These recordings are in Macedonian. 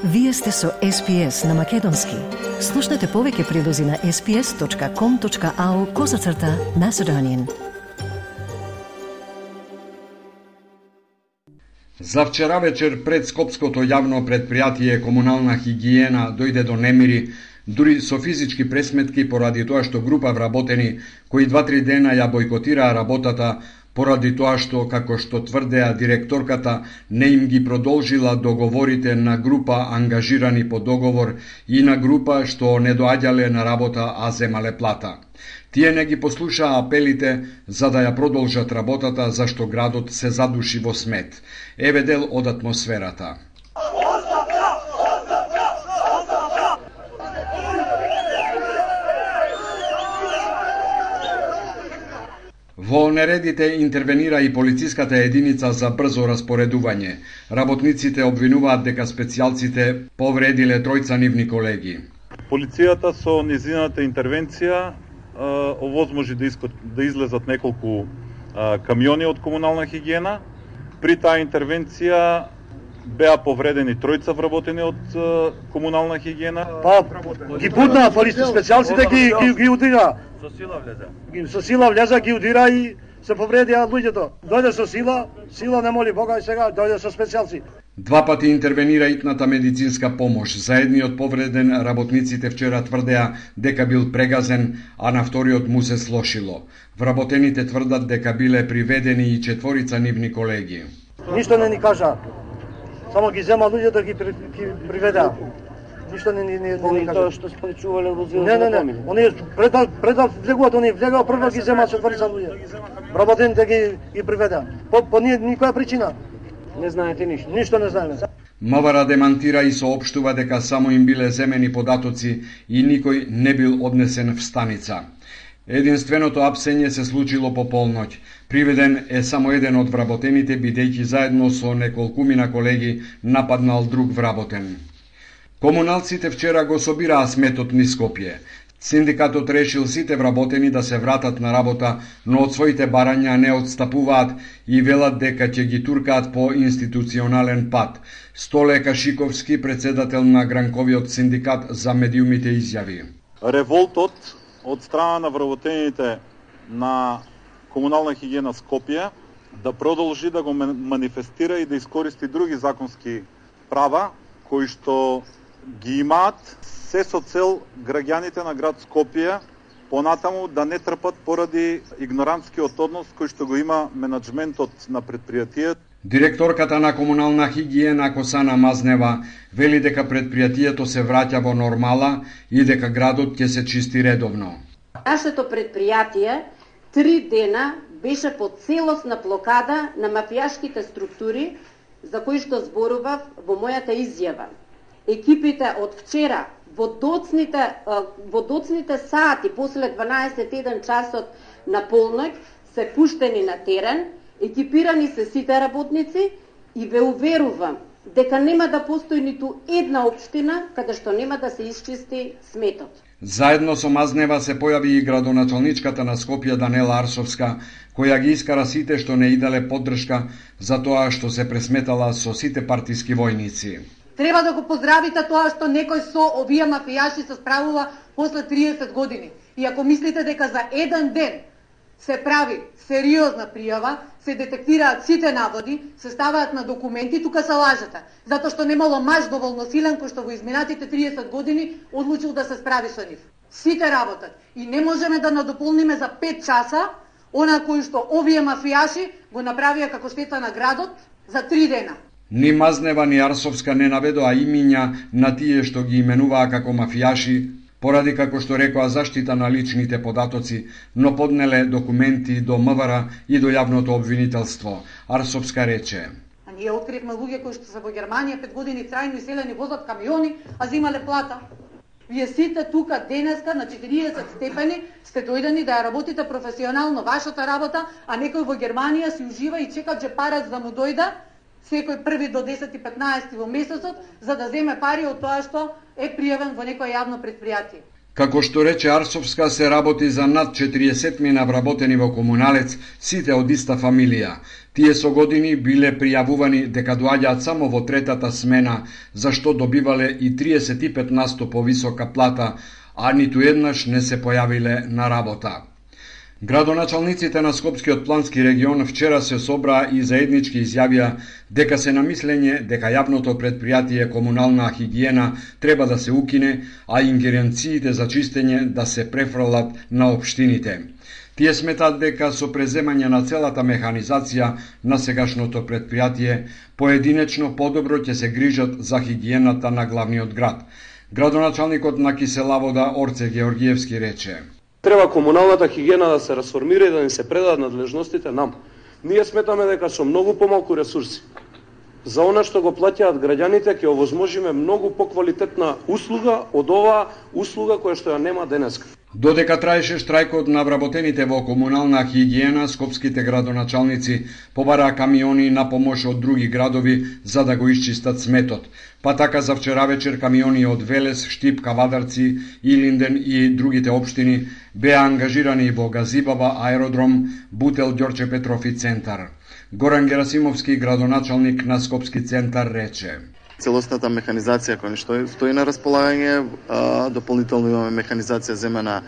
Вие сте со SPS на Македонски. Слушнете повеќе прилози на sps.com.au/Macedonian. За вчера вечер пред скопското јавно предпријатие Комунална хигиена дојде до немири, дури со физички пресметки поради тоа што група вработени кои 2-3 дена ја бойкотираа работата поради тоа што, како што тврдеа директорката, не им ги продолжила договорите на група ангажирани по договор и на група што не доаѓале на работа, а земале плата. Тие не ги послушаа апелите за да ја продолжат работата, зашто градот се задуши во смет. Еве дел од атмосферата. Во нередите интервенира и полициската единица за брзо распоредување. Работниците обвинуваат дека специјалците повредиле тројца нивни колеги. Полицијата со низината интервенција овозможи да излезат неколку камиони од Комунална хигиена. При таа интервенција беа повредени тројца вработени од Комунална хигиена. Ги бутнаа полиција, специјалците ги удира. Со сила влезе. Со сила влезе, ги удира и се повредија луѓето. Дојде со сила не моли Бога и сега дојде со специјалци. Два пати интервенира итната медицинска помош. За едниот повреден работниците вчера тврдеа дека бил прегазен, а на вториот му се слошило. Вработените тврдат дека биле приведени и 4 нивни колеги. Ништо не ни кажа. Само ги зема луѓето ги приведеа. Ништо не кажа. Тоа што спречувале возилото. Не. Они пред да влегуваат, они влегаа прво ги зема 4 луѓе. Вработените ги приведеа. По никоја причина. Не знаете ништо. Ништо не знаеме. МВР демантира и соопштува дека само им биле земени податоци и никој не бил однесен в станица. Единственото апсење се случило по полноќ. Приведен е само еден од вработените, бидејќи заедно со неколкумина колеги нападнал друг вработен. Комуналците вчера го собираа сметот низ Скопје. Синдикатот решил сите вработени да се вратат на работа, но од своите барања не отстапуваат и велат дека ќе ги туркаат по институционален пат. Столе Кашиковски, председател на Гранковиот синдикат за медиумите, изјави: Револтот од страна на вработените на Комунална хигиена Скопје да продолжи да го манифестира и да искористи други законски права кои што ги имаат, се со цел граѓаните на град Скопје понатаму да не трпат поради игнорантскиот однос кој што го има менаџментот на предпријатието. Директорката на Комунална хигиена Косана Мазнева вели дека предпријатието се враќа во нормала и дека градот ќе се чисти редовно. Нашето предпријатие 3 дена беше под целосна блокада на мафијашките структури за кои што зборував во мојата изјава. Екипите од вчера во доцните сати после 12-1 часот на полноќ се пуштени на терен, екипирани се сите работници и ве уверувам дека нема да постои ниту една општина каде што нема да се исчисти сметот. Заедно со Мазнева се појави и градоначалничката на Скопје Данела Арсовска, која ги искара сите што не иделе поддршка за тоа што се пресметала со сите партиски војници. Треба да го поздравите тоа што некој со овие мафијаши се справува после 30 години. И ако мислите дека за еден ден се прави сериозна пријава, се детектираат сите наводи, се ставаат на документи, тука се лажете. Затоа што немало маж доволно силен кој што во изминатите 30 години одлучил да се справи со нив. Сите работат и не можеме да надополниме за 5 часа она кој што овие мафијаши го направија како штета на градот за 3 дена. Ни Мазнева ни Арсовска не наведоа имиња на тие што ги именуваа како мафијаши, поради, како што рекоа, заштита на личните податоци, но поднеле документи до МВР и до јавното обвинителство. Арсовска рече: А ние откривме луѓе кои што се во Германија 5 години трајно иселени, возат камиони, а зимале плата. Вие сите тука денеска на 40 степени сте дојдени да ја работите професионално вашата работа, а некој во Германија си ужива и чека джепарец да му дојде секој први до 10-15 во месецот, за да земе пари од тоа што е пријавен во некој јавно предпријатие. Како што рече Арсовска, се работи за над 40 вработени во комуналец, сите од иста фамилија. Тие со години биле пријавувани дека доаѓаат само во третата смена, за што добивале и 35% повисока плата, а ниту еднаш не се појавиле на работа. Градоначалниците на Скопскиот плански регион вчера се собраа и заеднички изјавија дека се на мислење дека јавното предпријатие комунална хигиена треба да се укине, а ингеренциите за чистење да се префрлат на општините. Тие сметаат дека со преземање на целата механизација на сегашното предпријатие, поединечно подобро ќе се грижат за хигиената на главниот град. Градоначалникот на Киселавода Орце Георгиевски рече: Треба комуналната хигиена да се расформира и да ни се предадат надлежностите нам. Ние сметаме дека со многу помалку ресурси за она што го плаќаат граѓаните ќе овозможиме многу поквалитетна услуга од оваа услуга која што ја нема денеска. Додека траеше штрајкот на вработените во комунална хигиена, скопските градоначалници побараа камиони на помош од други градови за да го исчистат сметот. Па така за вчера вечер камиони од Велес, Штип, Кавадарци, Илинден и другите општини беа ангажирани во Газибава, Аеродром, Бутел, Ѓорче Петров и Центар. Горан Герасимовски, градоначалник на Скопски Центар, рече: Целосната механизација која што стои на располагање, дополнително имаме механизација земена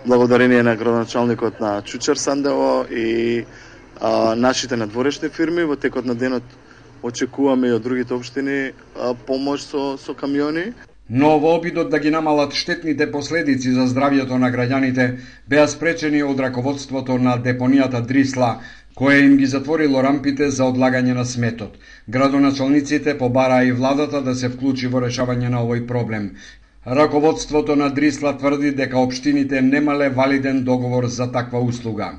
благодарение на градоначалникот на Чучер Сандево и нашите надворешни фирми. Во текот на денот очекуваме и од другите општини помош со камиони. Но во обидот да ги намалат штетните последици за здравјето на граѓаните, беа спречени од раководството на депонијата Дрисла, кое им ги затворило рампите за одлагање на сметот. Градоначалниците побараа и владата да се вклучи во решавање на овој проблем. Раководството на Дрисла тврди дека општините немале валиден договор за таква услуга.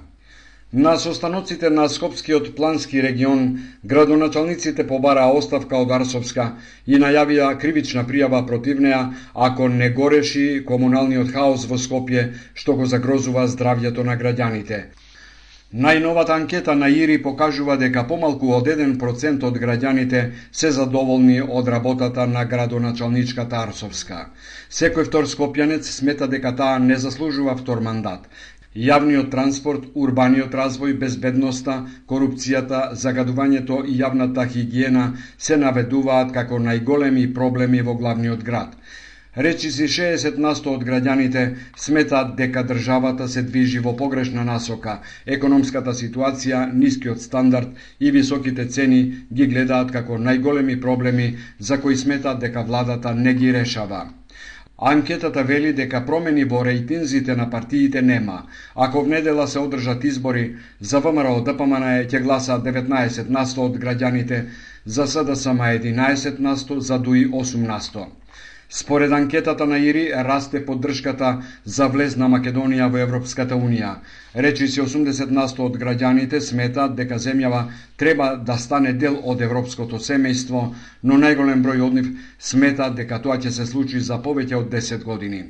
На состаноците на Скопскиот плански регион, градоначалниците побараа оставка од Арсовска и најавија кривична пријава против неа ако не го реши комуналниот хаос во Скопје, што го загрозува здравјето на граѓаните. Најновата анкета на ИРИ покажува дека помалку од 1% од граѓаните се задоволни од работата на градоначалничката Арсовска. Секој втор скопјанец смета дека таа не заслужува втор мандат. Јавниот транспорт, урбаниот развој, безбедноста, корупцијата, загадувањето и јавната хигиена се наведуваат како најголеми проблеми во главниот град. Речиси 60% од граѓаните сметаат дека државата се движи во погрешна насока. Економската ситуација, нискиот стандард и високите цени ги гледаат како најголеми проблеми за кои сметаат дека владата не ги решава. Анкетата вели дека промени во рейтинзите на партиите нема. Ако внедела се одржат избори, за ВМРО ДПМН ќе гласаат 19% од граѓаните, за СДСМ 11%, за ДУИ 8%. Според анкетата на ИРИ расте поддршката за влез на Македонија во Европската Унија. Речиси 80% од граѓаните сметаат дека земјава треба да стане дел од европското семејство, но најголем број од нив сметаат дека тоа ќе се случи за повеќе од 10 години.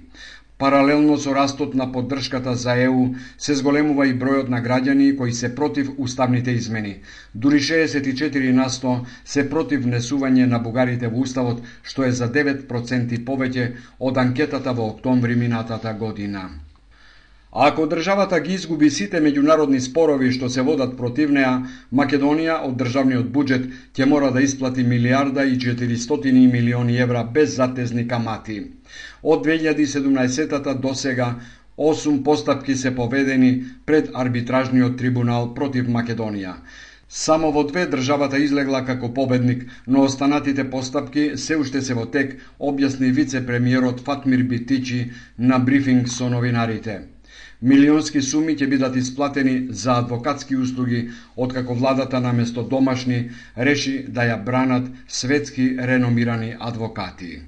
Паралелно со растот на поддршката за ЕУ се зголемува и бројот на граѓани кои се против уставните измени. Дури 64% се против внесување на бугарите во уставот, што е за 9% повеќе од анкетата во октомври минатата година. Ако државата ги изгуби сите меѓународни спорови што се водат против неа, Македонија од државниот буџет ќе мора да исплати 1.400 милиони евра без затезни камати. Од 2017 до сега 8 постапки се поведени пред арбитражниот трибунал против Македонија. Само во 2 државата излегла како победник, но останатите постапки се уште се во тек, објасни вице-премиерот Фатмир Битичи на брифинг со новинарите. Милионски суми ќе бидат исплатени за адвокатски услуги, откако владата наместо домашни реши да ја бранат светски реномирани адвокати.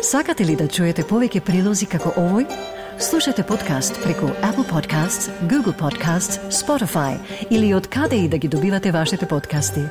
Сакате ли да чуете повеќе прилози како овој? Слушате подкаст преку Apple Podcasts, Google Podcasts, Spotify или од каде и да ги добивате вашите подкасти.